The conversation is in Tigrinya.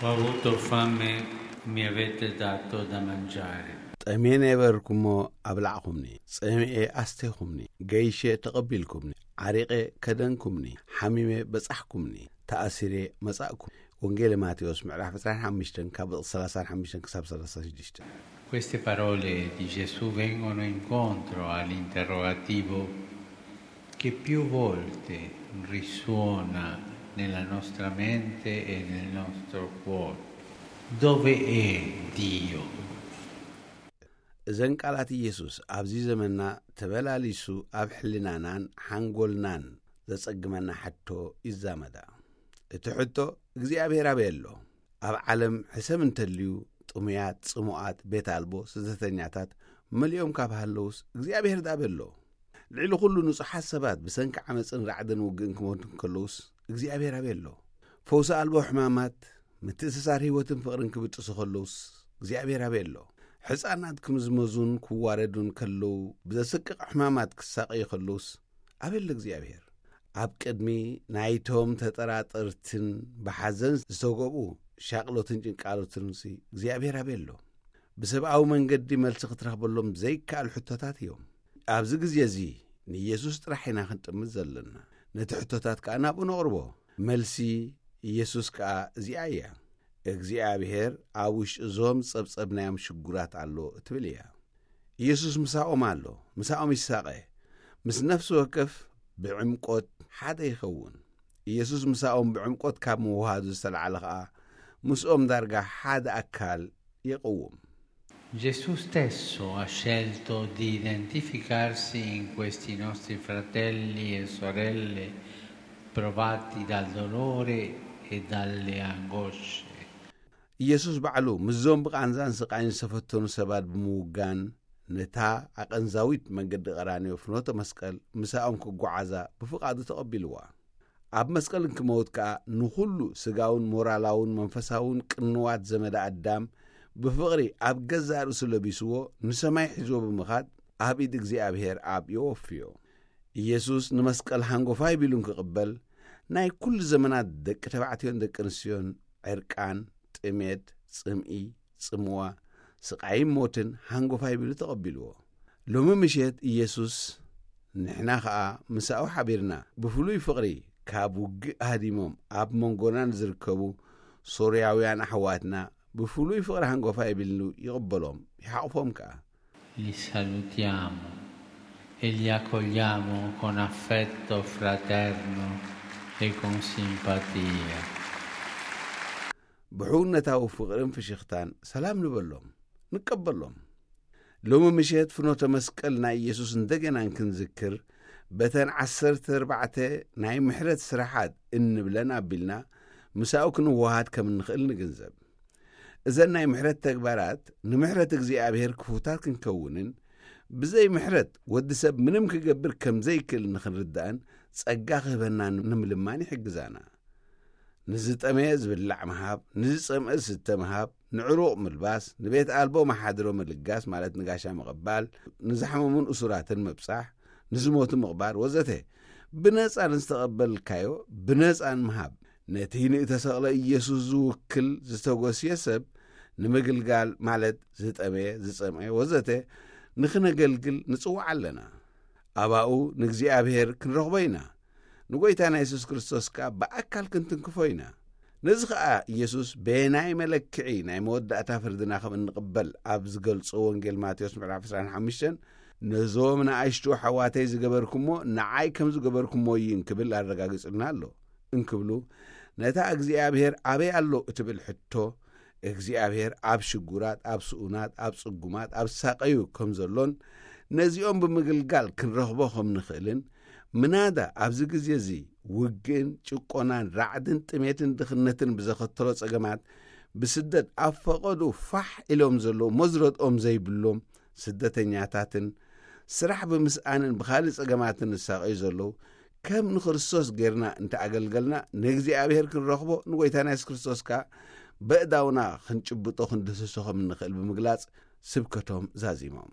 Ho avuto fame, mi avete dato da mangiare. ጠሜ ነበርኩሞ፣ ኣብላዕኹምኒ። ጸሚኤ፣ ኣስቴኹምኒ። ገይሸ፣ ተቐቢልኩምኒ። ዓሪቐ፣ ከደንኩምኒ። ሓሚመ፣ በጻሕኩምኒ። ተኣሲሬ፣ መጻእኩም። ወንጌል ማቴዎስ ምዕራፍ ዕስራን ሓሙሽተን ካብ ቁጽሪ ሰላሳን ሓሙሽተን ክሳብ ሰላሳን ሽዱሽተን። Queste parole di Gesù vengono incontro all'interrogativo che più volte risuona nella nostra mente e nel nostro cuore. Dove è Dio? እዘን ቃላት ኢየሱስ ኣብዚ ዘመንና ተበላሊሱ ኣብ ሕልናናን ሓንጎልናን ዘጸግመና ሕቶ ይዛመዳ። እቲ ሕቶ እግዚኣብሔር ኣበይ ኣሎ? ኣብ ዓለም ሕሰም እንተልዩ ጥሙያት፣ ጽሙኣት፣ ቤት ኣልቦ፣ ስደተኛታት መሊኦም ካብ ሃለውስ እግዚኣብሔር ዳበይ ኣሎ? ልዕሊ ኩሉ ንጹሓት ሰባት ብሰንኪ ዓመፅን ራዕድን ውግእን ክሞቱ እንከለውስ እግዚኣብሔር ኣበይ ኣሎ? ፈውሲ ኣልቦ ሕማማት፣ ምትእስሳር ህይወትን ፍቕርን ክብጥሱ ከለውስ እግዚኣብሔር ኣበይ ኣሎ? ሕፃናት ክምዝመዙን ክዋረዱን ከለዉ ብዘስቅቕ ሕማማት ክሳቐዩ ከለውስ ኣበይ ኣሎ እግዚኣብሔር? ኣብ ቅድሚ ናይቶም ተጠራጠርትን ብሓዘን ዝተጎብኡ ሻቕሎትን ጭንቃሎትንሲ እግዚኣብሔር ኣበይ ኣሎ? ብሰብኣዊ መንገዲ መልሲ ክትረኽበሎም ዘይከኣል ሕቶታት እዮም። ኣብዚ ግዜ እዚ ንኢየሱስ ጥራሕ ኢና ክንጥምት ዘለና። ነቲ ሕቶታት ከኣ ናብኡ ነቕርቦ። መልሲ ኢየሱስ ከኣ እዚኣ እያ። እግዚኣብሔር ኣብ ውሽጢ እዞም ጸብጸብናዮም ሽጉራት ኣሎ እትብል እያ። ኢየሱስ ምሳኦም ኣሎ፣ ምሳኦም ይሳቐ። ምስ ነፍሲ ወከፍ ብዕምቆት ሓደ ይኸውን። ኢየሱስ ምሳኦም ብዕምቆት ካብ ምውሃዱ ዝተላዕለ ኸኣ ምስኦም ዳርጋ ሓደ ኣካል ይቕውም። Gesù stesso ha scelto di identificarsi in questi nostri fratelli e sorelle provati dal dolore e dalle angosce. ኢየሱስ ባዕሉ ምስዞም ብቓንዛን ስቓይን ዝተፈተኑ ሰባት ብምውጋን ነታ ኣቐንዛዊት መንገዲ ቀራንዮ ፍኖተ መስቀል ምሳኦም ክጓዓዛ ብፍቓዱ ተቐቢልዋ። ኣብ መስቀል እንክመውት ከኣ ንኹሉ ስጋውን ሞራላውን መንፈሳውን ቅንዋት ዘመደ ኣዳም ብፍቕሪ ኣብ ገዛእ ርእሱ ለቢስዎ ንሰማይ ሒዝዎ ብምኻድ ኣብ ኢድ እግዚኣብሔር ኣብ የወፍዮ። ኢየሱስ ንመስቀል ሃንጎፋይ ቢሉ እንክቕበል ናይ ኩሉ ዘመናት ደቂ ተባዕትዮን ደቂ ኣንስትዮን ዕርቃን፣ ጥሜት፣ ጽምኢ፣ ጽምዋ፣ ስቓይን ሞትን ሃንጎፋይ ቢሉ ተቐቢልዎ። ሎሚ ምሸት ኢየሱስ ንሕና ኸኣ ምሳኡ ሓቢርና ብፍሉይ ፍቕሪ ካብ ውግእ ሃዲሞም ኣብ መንጎና ንዝርከቡ ሶርያውያን ኣሕዋትና ብፍሉይ ፍቕሪ ሃንጎፋይ ቢሉ ይቕበሎም፣ ይሓቑፎም ከኣ። Li salutiamo e li accogliamo con affetto fraterno e con simpatia. ብሕውነታዊ ፍቕርን ፍሽኽታን ሰላም ንበሎም፣ ንቀበሎም። ሎሚ ምሸት ፍኖተ መስቀል ናይ ኢየሱስ እንደገና እንክንዝክር በተን ዓሰርተ ኣርባዕተ ናይ ምሕረት ስራሓት እንብለን ኣቢልና ምሳኡ ክንወሃድ ከም እንኽእል ንግንዘብ። እዘን ናይ ምሕረት ተግባራት ንምሕረት እግዚኣብሔር ክፉታት ክንከውንን ብዘይ ምሕረት ወዲ ሰብ ምንም ክገብር ከም ዘይክእል ንኽንርዳእን ጸጋ ክህበና ንምልማን ይሕግዛና። ንዝጠመየ ዝብላዕ ምሃብ፣ ንዝጸምአ ዝስተ ምሃብ፣ ንዕሩቕ ምልባስ፣ ንቤት ኣልቦ መሓድሮ ምልጋስ ማለት ንጋሻ ምቕባል፣ ንዝሓመሙን እሱራትን ምብጻሕ፣ ንዝሞቱ ምቕባር ወዘተ ብነጻ ንዝተቐበልካዮ ብነጻን ምሃብ። ነቲ ንእተሰቕለ ኢየሱስ ዝውክል ዝተጎስየ ሰብ ንምግልጋል ማለት ዝጠመየ፣ ዝጸምአ ወዘተ ንኽነገልግል ንጽዋዕ ኣለና። ኣባኡ ንእግዚኣብሔር ክንረኽቦ ኢና። ንጎይታና የሱስ ክርስቶስ ከኣ ብኣካል ክንትንክፎ ኢና። ነዚ ኸኣ ኢየሱስ በየናይ መለክዒ ናይ መወዳእታ ፍርድና ከም እንቕበል ኣብ ዝገልጾ ወንጌል ማቴዎስ ምዕራፍ ዕስራን ሓሙሽተን ነዞም ንኣሽቱ ኣሕዋተይ ዝገበርኩሞ ንዓይ ከም ዝገበርኩሞ እዩ እንክብል ኣረጋጊጹልና ኣሎ። እንክብሉ ነታ እግዚኣብሔር ኣበይ ኣሎ እትብል ሕቶ እግዚኣብሔር ኣብ ሽጉራት፣ ኣብ ስኡናት፣ ኣብ ጽጉማት፣ ኣብ ዝሳቐዩ ከም ዘሎን ነዚኦም ብምግልጋል ክንረኽቦ ከም ንኽእልን ምናዳ ኣብዚ ግዜ እዚ ውግእን ጭቆናን ራዕድን ጥሜትን ድኽነትን ብዘኸተሎ ጸገማት ብስደት ኣብ ፈቐዱ ፋሕ ኢሎም ዘለዉ መዝረጥኦም ዘይብሎም ስደተኛታትን ስራሕ ብምስኣንን ብኻልእ ጸገማትን ዝሳቐዩ ዘለዉ ከም ንክርስቶስ ጌርና እንተኣገልገልና ንእግዚኣብሔር ክንረኽቦ ንጎይታና የሱስ ክርስቶስ ከኣ በእዳውና ክንጭብጦ ክንድህስሶ ከም እንኽእል ብምግላጽ ስብከቶም ዛዚሞም።